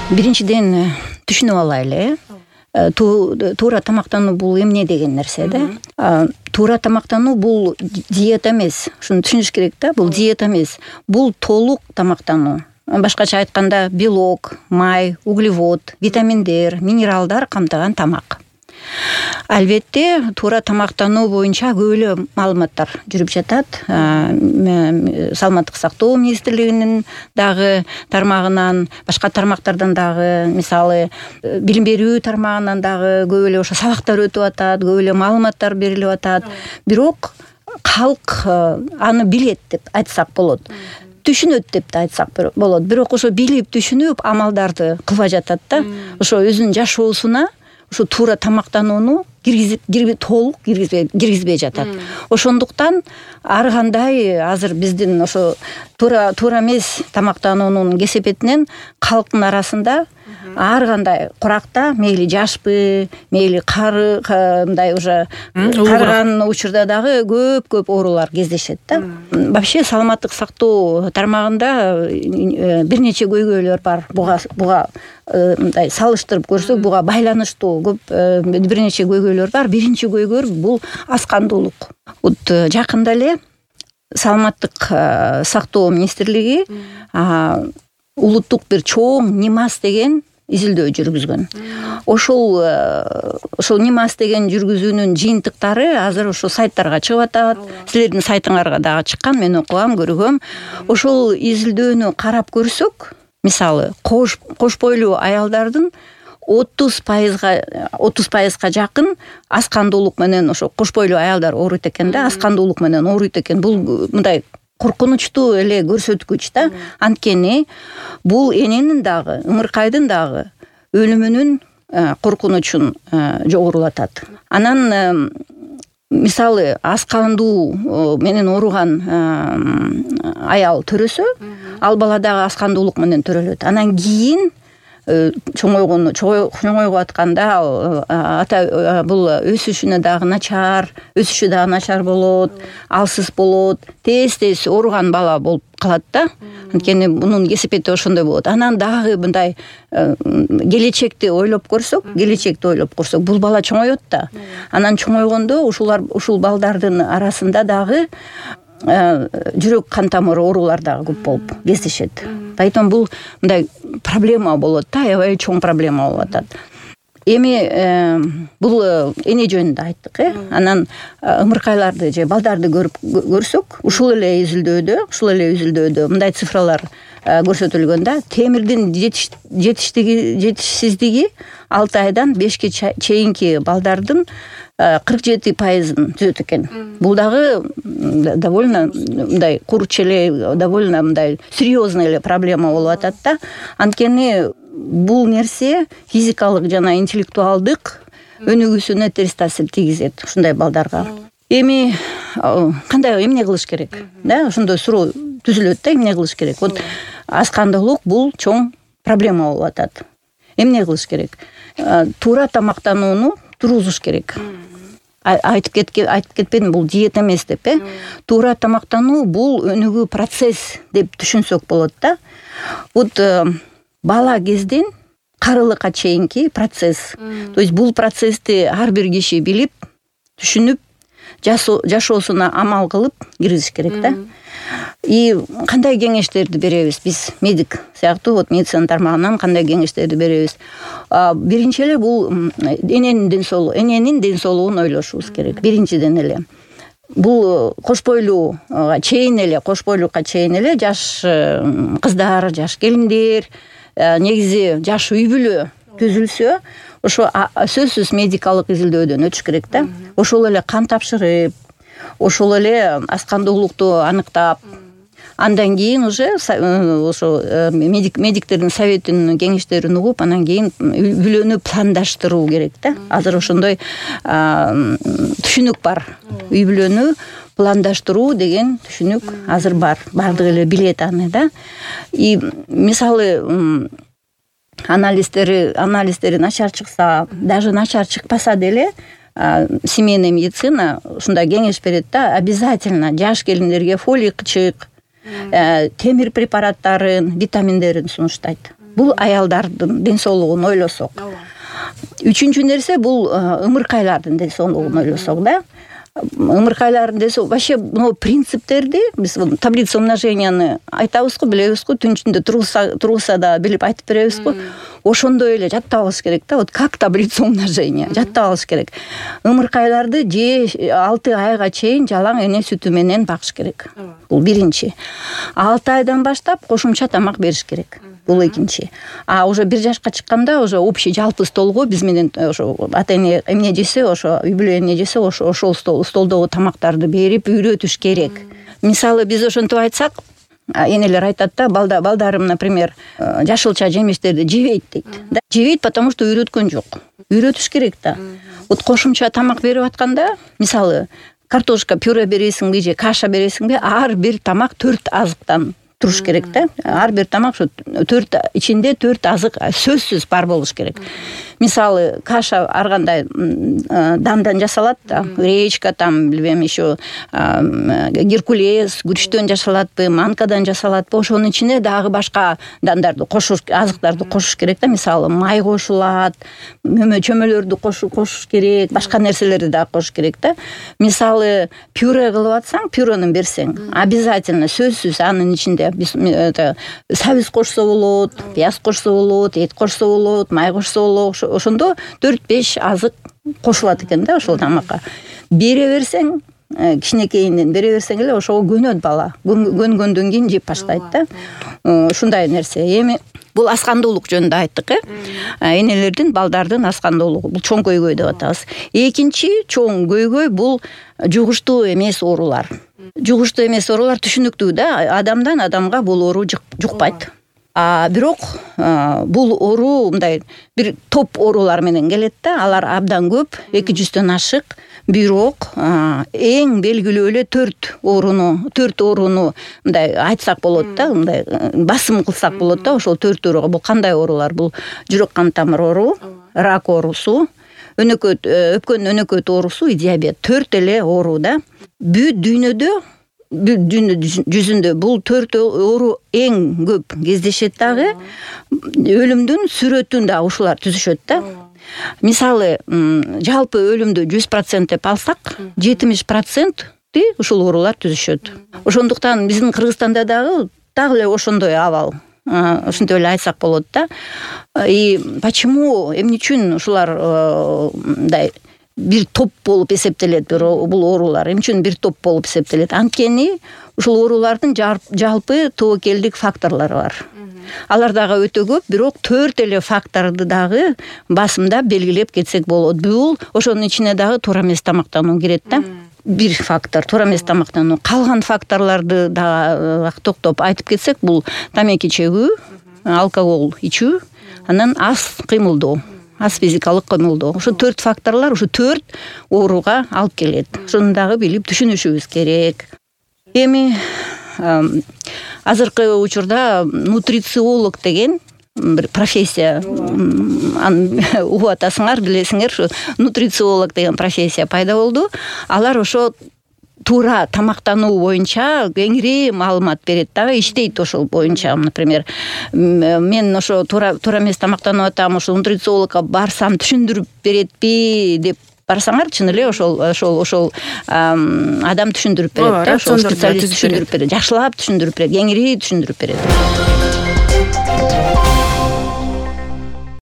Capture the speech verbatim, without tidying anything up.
Биринчиден түшүнүп алайлы. Туура тамактануу бул эмне деген нерсе да. Туура тамактануу бул диета эмес. Ушуну түшүнүш керек да. Бул диета эмес. Бул толук тамактануу. Башкача айтканда белок, май, углевод, витаминдер, минералдар камтыган тамак. Албетте, туура тамактануу боюнча көп эле маалыматтар жүрүп жатат. Саламаттык сактоо министрлигинин дагы тармагынан, башка тармактардан дагы, мисалы, билим берүү тармагынан дагы көп эле ошо сабактар өтүп атат, көп эле маалыматтар берилип атат. Бирок калк аны билет деп айтсак болот. Түшүнөт деп да айтсак болот. Бирок ошо билип, түшүнүп, амалдарды кылбай жатат да. Ошо өзүнүн жашоосуна ушу туура тамактанууну киргизип, толук киргизбей жатат. Ошондуктан ар кандай азыр биздин ошо туура туура эмес тамактануунун кесепетинен калктын арасында ар кандай куракта, мейли жашпы, мейли кары, мындай уже карыган учурда дагы көп-көп оорулар кездешет да. Вообще саламаттык сактоо тармагында бир нече көйгөйлөр бар. Буга буга мындай салыштырып көрсөк, буга байланыштуу көп бир нече көйгөйлөр бар. Биринчи көйгөй бул аскандуулук. Вот жакында эле саламаттык сактоо министрлиги улуттук бир чоң нимас деген изилдөө жүргүзгөн. Ошол ошол нимас деген жүргүзүүнүн жыйынтыктары азыр ошо сайттарга чыгып атат. Силердин сайтыңарга дагы чыккан, мен окугам, көргөм. Ошол изилдөөнү карап көрсөк, мисалы, кош кош бойлуу аялдардын отуз пайызга отуз пайызга жакын аскандуулук менен ошо кош бойлуу аялдар ооруйт экен да, аскандуулук менен ооруйт экен. Бул мындай коркунучтуу эле көрсөткүч да. Анткени бул эненин дагы, ымыркайдын дагы өлүмүнүн коркунучун жогорулатат. Анан мисалы аскандуу менен ооруган аял төрөсө, ал бала дагы аскандуулук менен төрөлөт. Анан кийин чоңойгону чоңойгоп атканда ата бул өсүшүнө дагы начар, өсүшү дагы начар болот, алсыз болот, тез-тез ооруган бала болуп калат да. Анткени мунун кесепети ошондой болот. Анан дагы мындай келечекти ойлоп көрсөк, келечекти ойлоп көрсөк, бул бала чоңоет да. Анан чоңойгондо ушулар ушул балдардын арасында дагы жүрөк кан тамыры оорулар дагы көп болуп кездешет. Поэтому бул мындай проблема болот да, аябай чоң проблема болуп атат. Эми бул эне жөнүндө айттык, э? Анан ымыркайларды же балдарды көрүп көрсөк, ушул эле изилдөөдө, ушул эле изилдөөдө мындай цифралар көрсөтүлгөн да. Темирдин жетиштиги жетишсиздиги алты айдан бешке чейинки балдардын кырк жети пайызын түзөт экен. Бул дагы довольно мындай курч эле, довольно мындай серьезный эле проблема болуп атат да. Анткени бул нерсе физикалык жана интеллектуалдык өнүгүүсүнө терс таасир тийгизет ушундай балдарга. Эми кандай эмне кылыш керек? Да, ошондой суроо түзүлөт да, эмне кылыш керек? Вот аскандуулук бул чоң проблема болуп атат. Эмне кылыш керек? Туура тамактанууну тургузуш керек. Айтып кеткен, айтып кетпедим, бул диета эмес деп, э? Туура тамактануу бул өнүгүү процесс деп түшүнсөк болот да. Вот бала кезден карылыкка чейинки процесс. То есть бул процессти ар бир киши билип, түшүнүп, жашоосуна амал кылып киргизиш керек да. И кандай кеңештерди беребиз биз, медик сыяктуу, вот медицина тармагынан кандай кеңештерди беребиз? Биринчи эле бул эненин ден соолугу, эненин ден соолугун ойлошубуз керек. Биринчиден эле бул кош бойлууга чейин эле, кош бойлукка чейин эле жаш кыздар, жаш келиндер, негизи жаш үй бүлө түзүлсө, ошо сөзсүз медикалык изилдөөдөн өтүш керек да. Ошол эле кан тапшырып, ошол эле аскандуулукту аныктап, андан кийин уже ошо медиктердин советинин кеңештерин угуп, анан кийин үй бүлөнү пландаштыруу керек да. Азыр ошондой түшүнүк бар. Үй бүлөнү пландаштыруу деген түшүнүк азыр бар. Бардыгы эле билет аны да. И мисалы анализдери анализдери начар чыкса, даже начар чыкпаса деле семейная медицина ушундай кеңеш берет да, обязательно жаш келиндерге фолий кычык, темир препараттарын, витаминдерин сунуштайт. бул аялдардын ден соолугун ойлосок. Үчүнчү нерсе бул ымыркайлардын ден соолугун ойлосок да. Ымыркайлардын ден соолугу вообще могу принциптерди биз таблица умноженияны айтабызго, билебиз го, түн ичинде тургузса тургузса да билип айтып беребиз го. Ошондой эле жаттап алыш керек да. Вот как таблица умножения жаттап алыш керек. Ымыркайларды же алты айга чейин жалаң эне сүтү менен багыш керек. Бул биринчи. алты айдан баштап кошумча тамак бериш керек. Бул экинчи. А уже бир жашка чыкканда уже общий жалпы столго биз менен ошо ата эне эмне жесе, ошо үй бүлө эмне жесе, ошо ошол столдогу тамактарды берип үйрөтүш керек. Мисалы биз ошентип айтсак, энелер айтат да, балда балдарым, например, жашылча жемиштерди жебейт дейт. Да, жебейт, потому что үйрөткөн жок. Үйрөтүш керек да. Вот кошумча тамак берип атканда, мисалы, картошка пюре бересиңби же каша бересиңби, ар бир тамак төрт азыктан туруш керек да. Ар бир тамак ошо төрт ичинде төрт азык сөзсүз бар болуш керек. Мисалы, каша ар кандай дандан жасалат да, гречка, там, билбейм, еще геркулес, күрүчтөн жасалатпы, манкадан жасалатпы, ошонун ичине дагы башка дандарды кошуш, азыктарды кошуш керек да. Мисалы, май кошулат, мөмө чөмөлөрдү кошуш керек, башка нерселерди дагы кошуш керек да. Мисалы, пюре кылып атсаң, пюрени берсең, обязательно сөзсүз анын ичинде сабиз кошсо болот, пияз кошсо болот, эт кошсо болот, май кошсо болот. Ошондо төрт беш азык кошулат экен да ошол тамакка. Бере берсең, кичинекейинен бере берсең эле ошого көнөт бала. Көнгөндөн кийин жеп баштайт да. Ушундай нерсе. Эми бул аскандуулук жөнүндө айттык, э? Энелердин, балдардын аскандуулугу. Бул чоң көйгөй деп атабыз. Экинчи чоң көйгөй бул жугуштуу эмес оорулар. Жугуштуу эмес оорулар түшүнүктүү да. Адамдан адамга бул оору жукпайт. А бирок бул оору мындай бир топ оорулар менен келет да. Алар абдан көп, эки жүздөн ашык. Бирок эң белгилүү эле төрт ооруну, төрт ооруну мындай айтсак болот да, мындай басым кылсак болот да. Ошол төрт ооруга бул кандай оорулар? Бул жүрөк кан тамыр оору, рак оорусу, өнөкөт, өпкөн өнөкөт оорусу, диабет. Төрт эле оору да. Бүт дүйнөдө дүйнө жүзүндө бул төрт оору эң көп кездешет дагы. Өлүмдүн сүрөтүн да ушулар түзүшөт да. Мисалы, жалпы өлүмдү жүз процент деп алсак, жетимиш проценти ушул оорулар түзүшөт. Ошондуктан биздин Кыргызстанда дагы дагы эле ошондой абал. Ошентип эле айтсак болот да. И почему, эмне үчүн ушулар мындай бир топ болуп эсептелет бул оорулар? Эмне үчүн бир топ болуп эсептелет? Анткени ушул оорулардын жалпы тобокелдик факторлору бар. Алар дагы өтө көп, бирок төрт эле факторду дагы басымдап белгилеп кетсек болот. Бул ошонун ичине дагы туура эмес тамактануу кирет да. Бир фактор туура эмес тамактануу. Калган факторлорду дагы токтоп айтып кетсек, бул тамеки чегүү, алкогол ичүү, анан аз кыймылдоо, аз физикалык кыймылдоо. Ошо төрт факторлор ушу төрт ооруга алып келет. Ошону дагы билип түшүнүшүбүз керек. Эми азыркы учурда нутрициолог деген бир профессия, угуп атасыңар, билесиңер, ушу нутрициолог деген профессия пайда болду. Алар ошо туура тамактануу боюнча кеңири маалымат берет дагы, иштейт ошол боюнча. Например, мен ошо туура туура эмес тамактанып атам, ошол нутрициологко барсам түшүндүрүп беретпи деп барсаңар, чын эле ошол ошол ошол адам түшүндүрүп берет да, ошол специалист түшүндүрүп берет, жакшылап түшүндүрүп берет, кеңири түшүндүрүп берет.